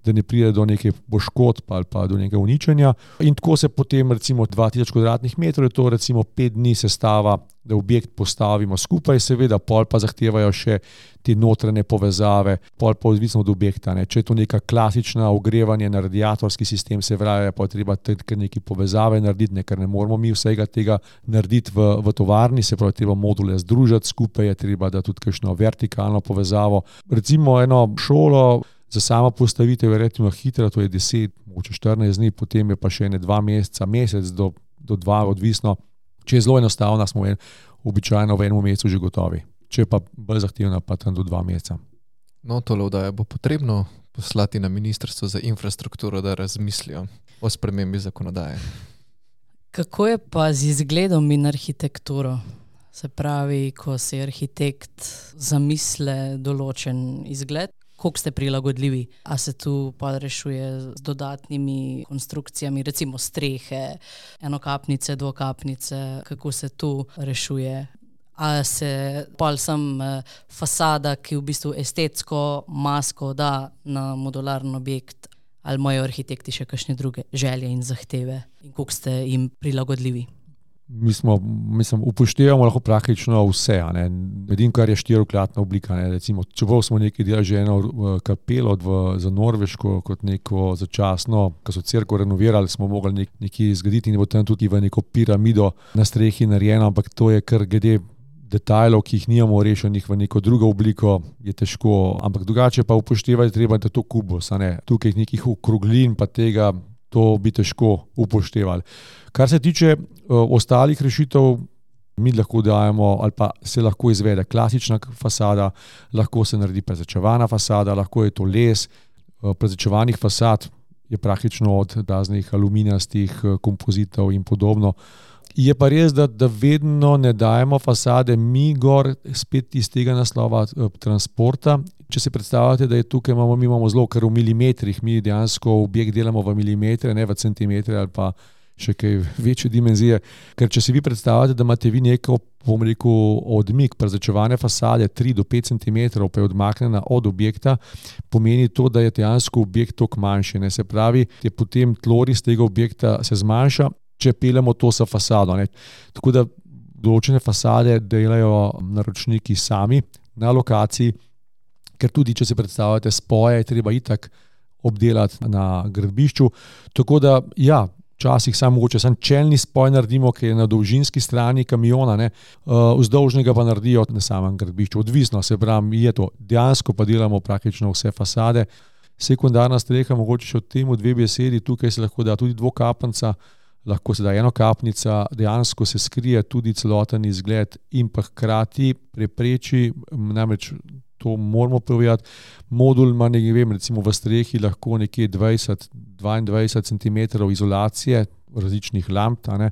da ne pride do neke poškodb ali pa do nekega uničenja. In tako se potem recimo dva tisoč kvadratnih metrov, je to recimo pet dni sestava, da objekt postavimo skupaj, seveda pol pa zahtevajo še te notranje povezave, pol pa odvisno od objekta. Ne. Če je to neka klasična ogrevanje na radiatorski sistem, se vraja, pa je treba tudi neke povezave narediti, ne, ker ne moramo mi vsega tega narediti v, v tovarni, se pravi, treba module združiti skupaj, je treba da tudi kakšno vertikalno povezavo. Recimo eno šolo, za samo postavitev je relativno hitra, to je deset, mogoče štirinajst dni, potem je pa še ene dva meseca, mesec do, do dva, odvisno. Če je zelo enostavna, smo en, običajno v enem mesecu že gotovi. Če je pa bolj zahtevna, pa tam do dva meseca. No, tole oddajo bo potrebno poslati na Ministrstvo za infrastrukturo, da razmislijo o spremembi zakonodaje. Kako je pa z izgledom in arhitekturo? Se pravi, ko se arhitekt zamisle določen izgled, koliko ste prilagodljivi? A se tu pa rešuje z dodatnimi konstrukcijami, recimo strehe, enokapnice, dvokapnice, kako se tu rešuje? A se pol sem fasada, ki v bistvu estetsko masko da na modularen objekt, ali imajo arhitekti še kakšne druge želje in zahteve in koliko ste jim prilagodljivi? Mi smo, mislim, upoštevamo lahko praktično vse, ne. Edino, kar je štirokratna oblika, ne. Recimo, čeprav smo nekaj delali že eno kapelo v, za Norveško kot neko začasno, ko so cerkev renovirali, smo mogli nek, nekaj zgraditi in bo tam tudi v neko piramido na strehi narejeno, ampak to je kar glede detajlov, ki jih nimamo rešenih v neko drugo obliko, je težko, ampak drugače pa upoštevati treba, da to kubus, a ne. Tukaj nekih okroglin pa tega, to bi težko upoštevali. Kar se tiče uh, ostalih rešitev, mi lahko dajemo ali pa se lahko izvede klasična fasada, lahko se naredi prezračevana fasada, lahko je to les. Uh, prezračevanih fasad je praktično od raznih aluminijastih uh, kompozitov in podobno. Je pa res, da, da vedno ne dajemo fasade mi gor spet iz tega naslova uh, transporta. Če se predstavljate, da je tukaj imamo, mi imamo zelo kar v milimetrih, mi dejansko objekt delamo v milimetre, ne v centimetre ali pa še kaj večje dimenzije, ker če si vi predstavljate, da imate vi neko, bom rekel, odmik prezračevane fasade tri do pet centimetrov, pa je odmaknjena od objekta, pomeni to, da je dejansko objekt toliko manjši, ne, se pravi, je potem tloris tega objekta se zmanjša, če peljemo to sa fasado, ne. Tako da določene fasade delajo naročniki sami na lokaciji, ker tudi, če se predstavljate spoje, je treba itak obdelati na gradbišču, tako da, ja, včasih samo mogoče sam čelni spoj naredimo, ki je na dolžinski strani kamiona, ne, vzdolžnega pa naredijo na samem gradbišču. Odvisno, se pravi, je to. Dejansko pa delamo praktično vse fasade. Sekundarna streha, mogoče še o tem dve besedi, tukaj se lahko da tudi dvokapnica, lahko se da enokapnica, dejansko se skrije tudi celoten izgled in pa hkrati prepreči, namreč to moramo povedati, modul ima, ne vem, recimo v strehi lahko nekje dvajset do dvaindvajset centimetrov izolacije različnih lamp, ne,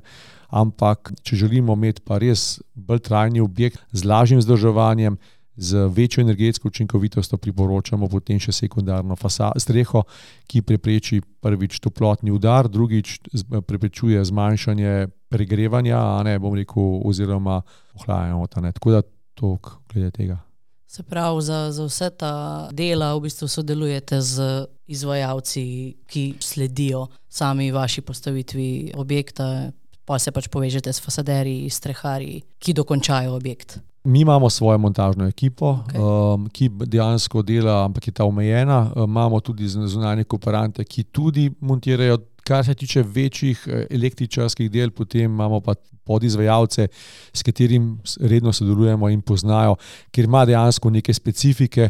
ampak če želimo imeti pa res bolj trajni objekt z lažjim vzdrževanjem, z večjo energetsko učinkovitostjo priporočamo potem še sekundarno fasado, streho, ki prepreči prvič toplotni udar, drugič preprečuje zmanjšanje pregrevanja, a ne, bom rekel, oziroma ohlajanja. Tako da to glede tega. Se pravi, za, za vse ta dela v bistvu sodelujete z izvajalci, ki sledijo sami vaši postavitvi objekta, pa se pač povežete s fasaderji, streharji, ki dokončajo objekt. Mi imamo svojo montažno ekipo, Okay. um, ki dejansko dela, ampak je ta omejena. Um, imamo tudi zunanje kooperante, ki tudi montirajo, kar se tiče večjih električarskih del, potem imamo pa podizvajalce, s katerim redno sodelujemo in poznajo, ker ima dejansko neke specifike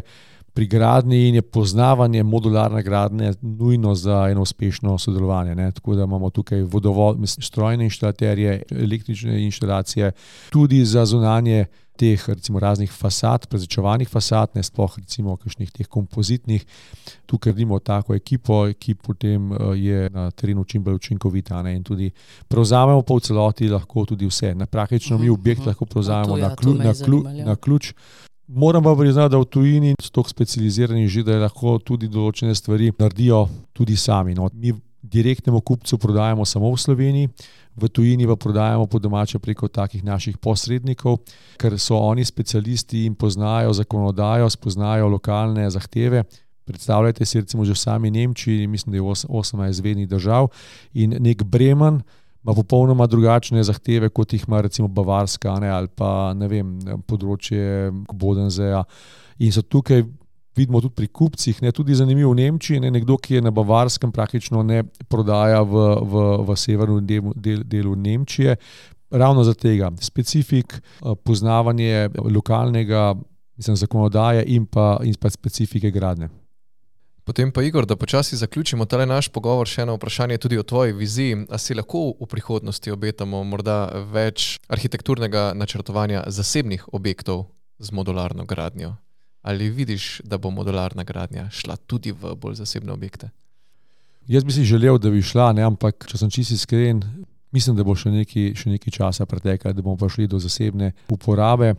pri gradnji in je poznavanje modularne gradnje nujno za eno uspešno sodelovanje. Ne? Tako da imamo tukaj vodovod, strojne inštalaterje, električne inštalacije, tudi za zunanje teh recimo raznih fasad, prezračevanih fasad, ne sploh recimo kakšnih teh kompozitnih. Tukaj imamo tako ekipo, ki potem je na terenu čim bolj učinkovita, ne? In tudi prevzamemo pa v celoti lahko tudi vse. Na praktično mi objekt uh-huh. lahko prevzamemo ja, na, klju, na, klju, na ključ. Moram pa priznati, da v tujini so tako specializirani že, da lahko tudi določene stvari naredijo tudi sami. No, mi direktnemu kupcu prodajamo samo v Sloveniji, v tujini pa prodajamo po domače preko takih naših posrednikov, ker so oni specialisti in poznajo zakonodajo, spoznajo lokalne zahteve. Predstavljajte si recimo že v sami Nemčiji, mislim, da je osemnajst zveznih držav in nek Bremen ima popolnoma drugačne zahteve, kot jih ima recimo Bavarska, ne, ali pa ne vem, področje Bodenseja. In so tukaj, vidimo tudi pri kupcih, ne, tudi zanimivo v Nemčiji, ne, nekdo, ki je na Bavarskem, praktično ne prodaja v, v, v severnem delu, del, delu Nemčije. Ravno za tega specifik, poznavanje lokalnega, mislim, zakonodaje in pa, in pa specifike gradnje. Potem pa, Igor, da počasi zaključimo tale naš pogovor, še eno vprašanje tudi o tvoji viziji. A si lahko v prihodnosti obetamo morda več arhitekturnega načrtovanja zasebnih objektov z modularno gradnjo? Ali vidiš, da bo modularna gradnja šla tudi v bolj zasebne objekte? Jaz bi si želel, da bi šla, ne, ampak če sem čisto iskren, mislim, da bo še nekaj, še nekaj časa pretekalo, da bomo prišli do zasebne uporabe.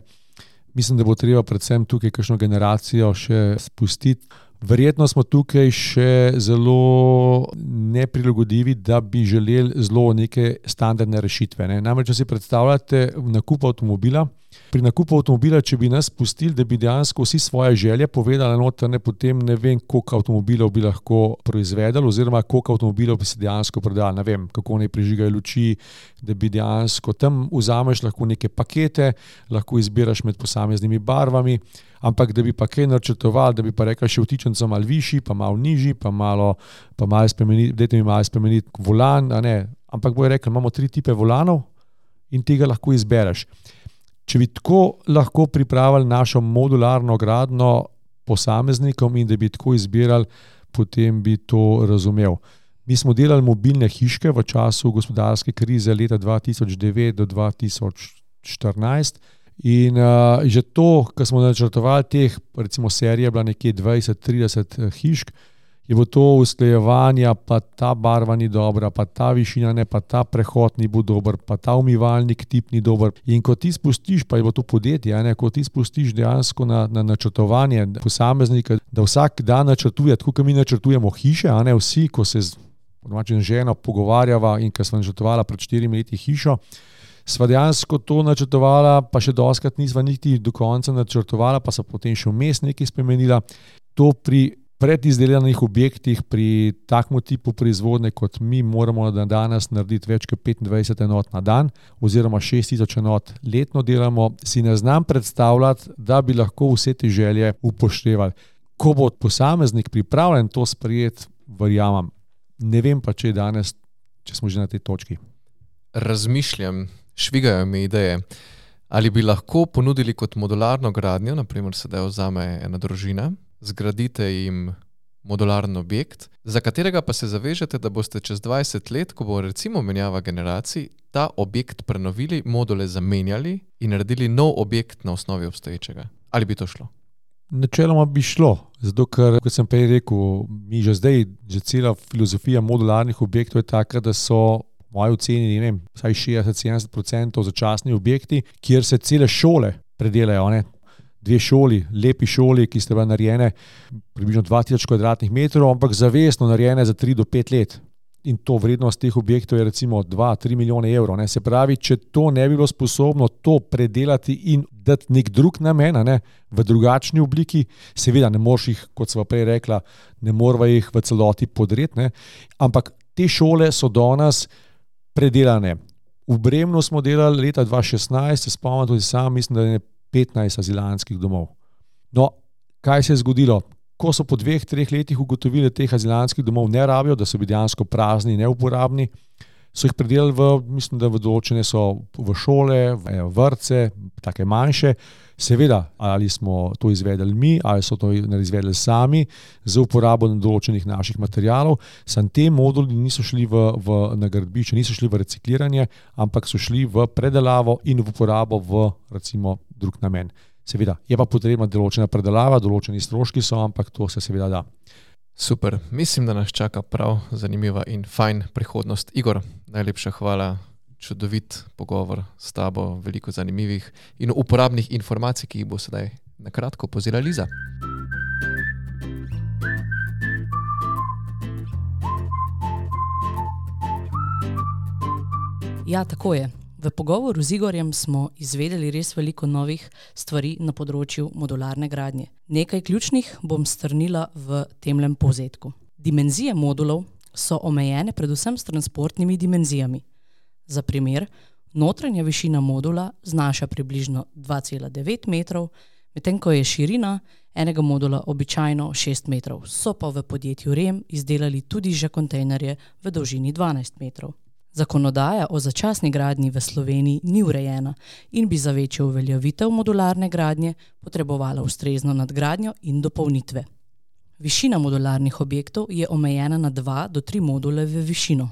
Mislim, da bo treba predvsem tukaj kakšno generacijo še spustiti. Verjetno smo tukaj še zelo neprilagodivi, da bi želeli zelo neke standardne rešitve. Ne? Namreč, če si predstavljate nakup avtomobila, pri nakupu avtomobila, če bi nas pustili, da bi dejansko vsi svoje želje povedali notrne, potem ne vem, koliko avtomobilov bi lahko proizvedali oziroma koliko avtomobilov bi se dejansko prodali. Ne vem, kako naj prižigajo luči, da bi dejansko tam vzameš lahko neke pakete, lahko izbiraš med posameznimi barvami, ampak da bi pa kaj načrtovali, da bi pa rekli še vtičenco malo višji, pa malo nižji, pa malo, pa malo spremeniti, dajte mi malo spremeniti volan, a ne. Ampak bojo rekli, imamo tri tipe volanov in tega lahko izbereš. Če bi tako lahko pripravili našo modularno gradnjo posameznikom in da bi tako izbirali, potem bi to razumel. Mi smo delali mobilne hiške v času gospodarske krize leta dva tisoč devet do dva tisoč štirinajst in uh, že to, ko smo načrtovali teh, recimo serija je bila nekje dvajset trideset hišk, je bilo to usklajevanja, pa ta barva ni dobra, pa ta višina ne, pa ta prehod ni bil dober, pa ta umivalnik tip ni dober. In ko ti spustiš, pa je bilo to podjetje, ne, ko ti spustiš dejansko na, na načrtovanje posameznika, da vsak dan načrtuje, tako kot mi načrtujemo hiše, a ne vsi, ko se z domačim ženo pogovarjava in ko sva načrtovala pred štirimi leti hišo, sva dejansko to načrtovala, pa še doskrat nisva niti do konca načrtovala, pa so potem še vmes nekaj spremenila. To pri predizdelanih objektih, pri takmu tipu proizvodnje, kot mi moramo na danes narediti več kot petindvajset enot na dan, oziroma šest tisoč enot letno delamo, si ne znam predstavljati, da bi lahko vse te želje upoštevali. Ko bo posameznik pripravljen to sprejeti, verjamem. Ne vem pa, če je danes, če smo že na tej točki. Razmišljam, švigajo mi ideje. Ali bi lahko ponudili kot modularno gradnjo, naprimer sedaj vzame ena družina, zgradite jim modularni objekt, za katerega pa se zavežete, da boste čez dvajset let, ko bo recimo menjava generacij, ta objekt prenovili, module zamenjali in naredili nov objekt na osnovi obstoječega. Ali bi to šlo? Načeloma bi šlo, zato ker, kot sem prej rekel, mi že zdaj, že cela filozofija modularnih objektov je taka, da so v moji oceni, ne vem, vsaj šestdeset do sedemdeset procentov začasni objekti, kjer se cele šole predelajo, ne? Dve šoli, lepi šoli, ki ste bile narejene približno dva tisoč kvadratnih metrov, ampak zavestno narejene za tri do pet let. in to vrednost teh objektov je recimo dva do tri milijone evrov. Ne. Se pravi, če to ne bi bilo sposobno to predelati in dati nek drug namen, ne, v drugačni obliki, seveda ne moreš jih, kot sva prej rekla, ne morva jih v celoti podreti, ne, ampak te šole so danes predelane. V Bremnu smo delali leta dva tisoč šestnajst, se spomnim tudi sam, mislim, da je petnajst azilantskih domov. No, kaj se je zgodilo? Ko so po dveh, treh letih ugotovili, da teh azilantskih domov ne rabijo, da so bili dejansko prazni, neuporabni, so jih predelali v, mislim, da v določene so v šole, v vrtce, take manjše. Seveda, ali smo to izvedeli mi, ali so to izvedeli sami za uporabo določenih naših materialov, sam te moduli niso šli v, v, na gradbišče, niso šli v recikliranje, ampak so šli v predelavo in v uporabo v, recimo, drug namen. Seveda, je pa potrebna določena predelava, določeni stroški so, ampak to se seveda da. Super, mislim, da nas čaka prav zanimiva in fajn prihodnost. Igor, najlepša hvala, čudovit pogovor s tabo, veliko zanimivih in uporabnih informacij, ki jih bo sedaj na kratko pozirala Liza. Ja, tako je. V pogovoru z Igorjem smo izvedeli res veliko novih stvari na področju modularne gradnje. Nekaj ključnih bom strnila v temlem povzetku. Dimenzije modulov so omejene predvsem s transportnimi dimenzijami. Za primer, notranja višina modula znaša približno dva cela devet metrov, medtem ko je širina enega modula običajno šest metrov. So pa v podjetju Rem izdelali tudi že kontejnerje v dolžini dvanajst metrov. Zakonodaja o začasni gradnji v Sloveniji ni urejena in bi za večjo uveljavitev modularne gradnje potrebovala ustrezno nadgradnjo in dopolnitve. Višina modularnih objektov je omejena na dva do tri module v višino.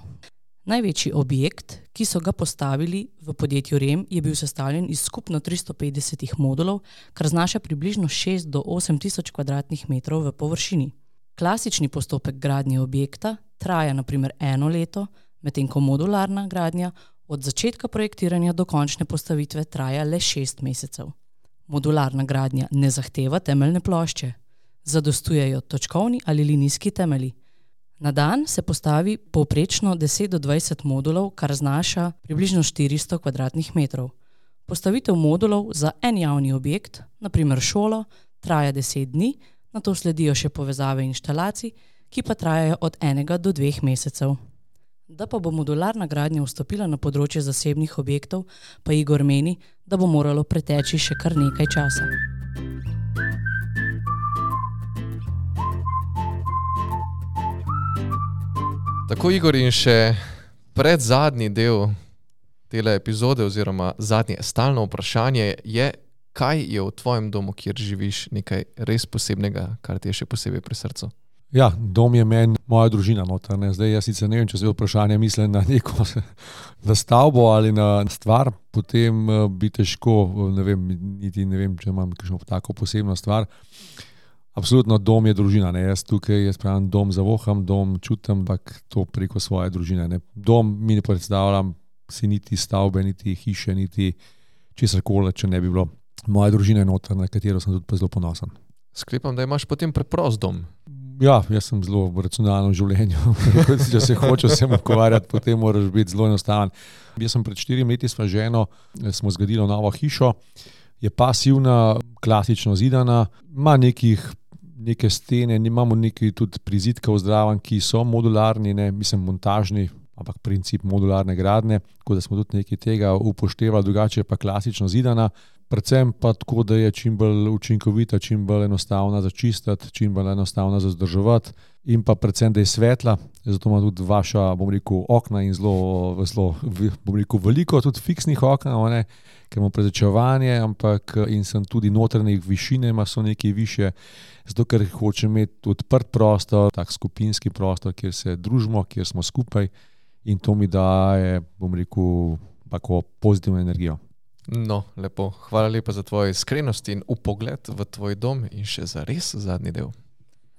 Največji objekt, ki so ga postavili v podjetju Rem, je bil sestavljen iz skupno tristo petdeset modulov, kar znaša približno šest do osem tisoč kvadratnih metrov v površini. Klasični postopek gradnje objekta traja na primer eno leto, medtem ko modularna gradnja od začetka projektiranja do končne postavitve traja le šest mesecev. Modularna gradnja ne zahteva temeljne plošče. Zadostujejo točkovni ali linijski temelji. Na dan se postavi povprečno deset do dvajset modulov, kar znaša približno štiristo kvadratnih metrov. Postavitev modulov za en javni objekt, na primer šolo, traja deset dni, nato sledijo še povezave inštalacij, ki pa trajajo od enega do dveh mesecev. Da pa bo modularna gradnja vstopila na področje zasebnih objektov, pa Igor meni, da bo moralo preteči še kar nekaj časa. Tako, Igor, in še predzadnji del tele epizode oziroma zadnje stalno vprašanje je, kaj je v tvojem domu, kjer živiš, nekaj res posebnega, kar ti je še posebej pri srcu? Ja, dom je meni moja družina noter. Ne. Zdaj jaz sicer ne vem, če se vprašanje mislim na neko na stavbo ali na stvar, potem uh, bi težko, ne vem, niti ne vem, če imam kakšno tako posebno stvar. Absolutno dom je družina. Ne. Jaz tukaj, jaz pravim, dom zavoham, dom čutim, ampak to preko svoje družine. Ne. Dom mi ne predstavljam si niti stavbe, niti hiše, niti česarkoli, če ne bi bilo moja družina noter, na katero sem tudi zelo ponosen. Sklepam, da imaš potem preprost dom. Ja, jaz sem zelo v racionalnem življenju. Če se hočeš vsem ukvarjati, potem moraš biti zelo enostaven. Jaz sem pred štirimi leti sva ženo, smo zgradili novo hišo, je pasivna, klasično zidana, ima nekih, neke stene, imamo nekaj tudi prizidkov zdraven, ki so modularni, ne, mislim montažni, ampak princip modularne gradnje, tako da smo tudi nekaj tega upoštevali, drugače je pa klasično zidana. Predvsem pa tako, da je čim bolj učinkovita, čim bolj enostavna za čistiti, čim bolj enostavna za vzdrževati in pa predvsem, da je svetla, zato ima tudi vaša, bom rekel, okna in zelo, zelo, bom rekel, veliko tudi fiksnih okna, ne, ker imamo prezračevanje, ampak in sem tudi notranjih višine, ima so nekaj više, zato ker hočem imeti odprt prostor, tak skupinski prostor, kjer se družimo, kjer smo skupaj in to mi daje, bom rekel, tako pozitivno energijo. No, lepo. Hvala lepa za tvojo iskrenost in upogled v tvoj dom in še za res zadnji del.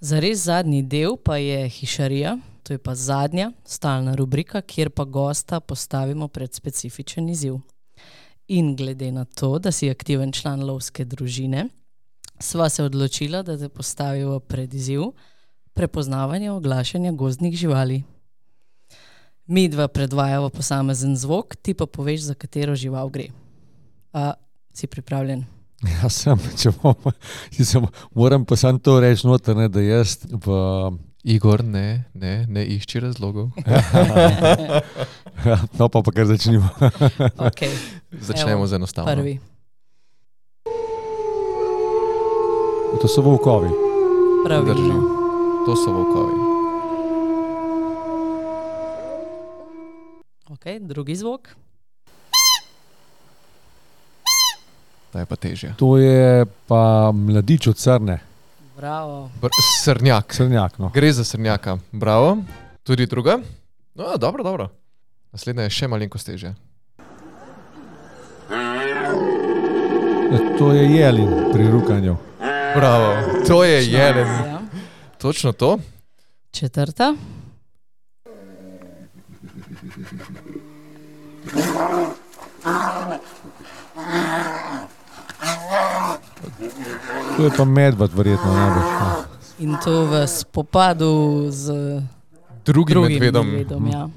Za res zadnji del pa je hišarija, to je pa zadnja stalna rubrika, kjer pa gosta postavimo pred specifičen izziv. In glede na to, da si aktiven član lovske družine, sva se odločila, da te postavimo pred izziv prepoznavanja oglašanja gozdnih živali. Mi dva predvajava posamezen zvok, ti pa poveš, za katero žival gre. A, si pripravljen? Ja, sem, če bom, sem, moram pa samo to reči noter, ne, da jaz v... Igor, ne, ne, ne išči razlogov. No, pa pa kar začnimo. Okay. Začnemo Evo, z enostavno. Prvi. To so volkovi. Pravilno. To so volkovi. Ok, drugi zvok. Ta je pa težja. To je pa mladič od srne. Bravo. Br srnjak. Srnjak, no. Gre za srnjaka. Bravo. Tudi druga? No, dobro, dobro. Naslednja je še malenkost težja. To je jelin pri rukanju. Bravo. To je jelen. Ja. Točno to. Četrta. To je pa medved verjetno najbolj. In to v spopadu z Drugim, drugim medvedom. medvedom. Ja.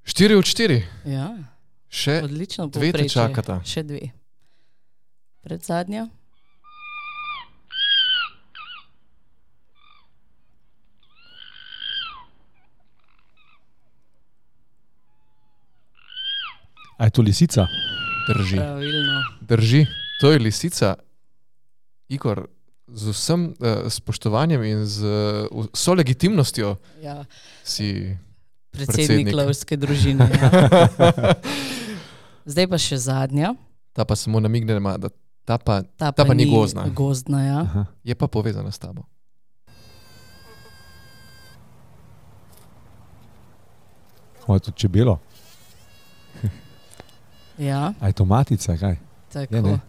Štiri od štiri. Ja. Še Odlično dve te povprečje. čakata. Še dve. Predzadnja. A je to lisica? Drži. Pravilno. Drži. To je lisica. Igor, z vsem uh, spoštovanjem in z uh, vso legitimnostjo Ja. si Predsednik, Predsednik. lovske družine. Ja. Zdaj pa še zadnja. ta pa samo namigne, da ta pa Ta, Ta pa ni gozdna. gozdna ja. Aha. je pa povezana s tabo. O, je to čebelo? Ja, A je to matica, kaj? tako. Je, ne?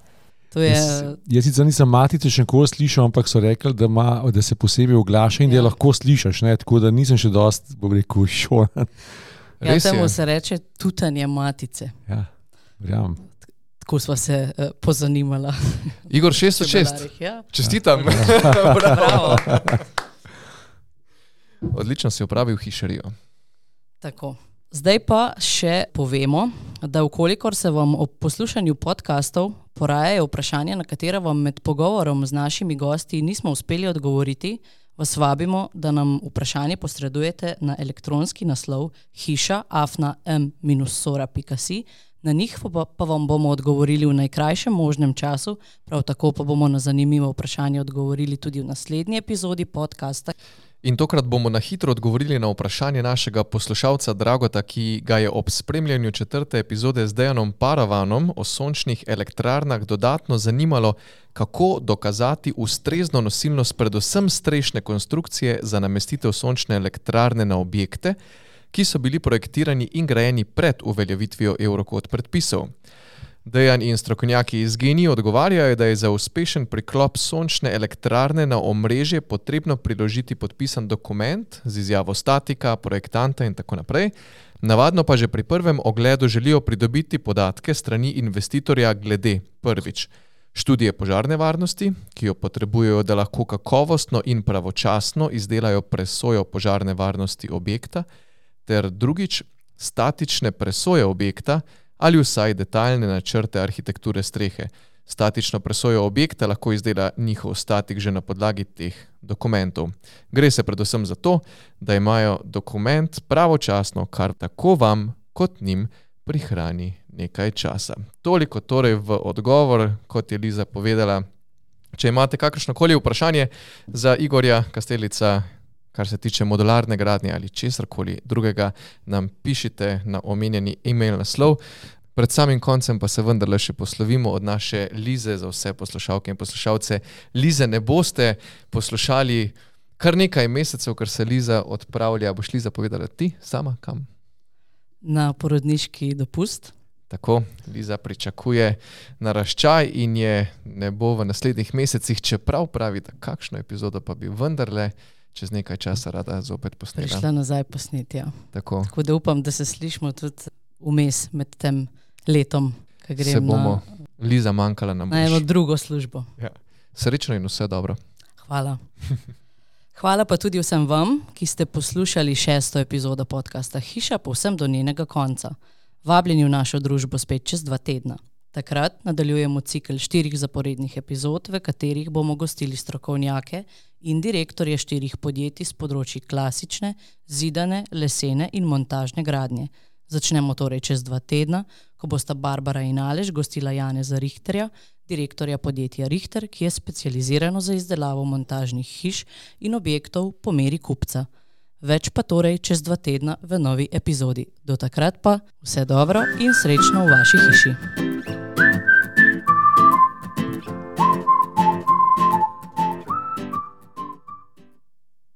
To je, Jaz, jaz sicer nisem matice še nikoli slišal, ampak so rekli, da, ima, da se posebej oglaša in da Ja. je lahko slišiš, ne? Tako da nisem še dost, bom rekel, šolan. ja, Res temu je. se reče tutanje matice. Ja, verjamem. Tako sva se uh, pozanimala. Igor, šest od šest. Čebelarjih, Ja. Čestitam. Bravo. Odlično si opravil hišarijo. Tako. Zdaj pa še povemo, da vkolikor se vam ob poslušanju podkastov porajajo vprašanja, na katera vam med pogovorom z našimi gosti nismo uspeli odgovoriti, vas vabimo, da nam vprašanje posredujete na elektronski naslov hiša afna m sora pika si. Na njih pa, pa vam bomo odgovorili v najkrajšem možnem času, prav tako pa bomo na zanimivo vprašanje odgovorili tudi v naslednji epizodi podcasta. In tokrat bomo na hitro odgovorili na vprašanje našega poslušalca Dragota, ki ga je ob spremljanju četrte epizode z Dejanom Paravanom o sončnih elektrarnah dodatno zanimalo, kako dokazati ustrezno nosilnost predvsem strešne konstrukcije za namestitev sončne elektrarne na objekte, ki so bili projektirani in grajeni pred uveljavitvijo Eurokod predpisov. Dejan in strokovnjaki iz GENI odgovarjajo, da je za uspešen priklop sončne elektrarne na omrežje potrebno priložiti podpisan dokument z izjavo statika, projektanta in tako naprej. Navadno pa že pri prvem ogledu želijo pridobiti podatke strani investitorja glede prvič študije požarne varnosti, ki jo potrebujejo, da lahko kakovostno in pravočasno izdelajo presojo požarne varnosti objekta, ter drugič statične presoje objekta, ali vsaj detaljne načrte arhitekture strehe. Statično presojo objekta lahko izdela njihov statik že na podlagi teh dokumentov. Gre se predvsem za to, da imajo dokument pravočasno, kar tako vam kot njim prihrani nekaj časa. Toliko torej v odgovor, kot je Liza povedala. Če imate kakršnokoli vprašanje za Igorja Kastelica, kar se tiče modularne gradnje ali česarkoli drugega, nam pišite na omenjeni e-mail naslov. Pred samim koncem pa se vendarle še poslovimo od naše Lize za vse poslušalke in poslušalce. Lize ne boste poslušali kar nekaj mesecev, ker se Liza odpravlja. Boš Liza povedala ti sama kam? Na porodniški dopust. Tako, Liza pričakuje naraščaj in je ne bo v naslednjih mesecih, čeprav pravi, da kakšno epizodo pa bi vendarle čez nekaj časa rada zopet posnela. Prišla nazaj posneti, ja. Tako. Tako da upam, da se slišimo tudi vmes med tem letom, ko grem Se bomo, na, Liza, manjkala nam na eno boš. drugo službo. Ja. Srečno in vse dobro. Hvala. Hvala pa tudi vsem vam, ki ste poslušali šesto epizodo podcasta Hiša povsem do njenega konca. Vabljeni v našo družbo spet čez dva tedna. Takrat nadaljujemo cikel štirih zaporednih epizod, v katerih bomo gostili strokovnjake in direktorje štirih podjetij s področji klasične, zidane, lesene in montažne gradnje. Začnemo torej čez dva tedna, ko bosta Barbara in Aleš gostila Janeza Richterja, direktorja podjetja Richter, ki je specializirano za izdelavo montažnih hiš in objektov po meri kupca. Več pa torej čez dva tedna v novi epizodi. Do takrat pa vse dobro in srečno v vaši hiši.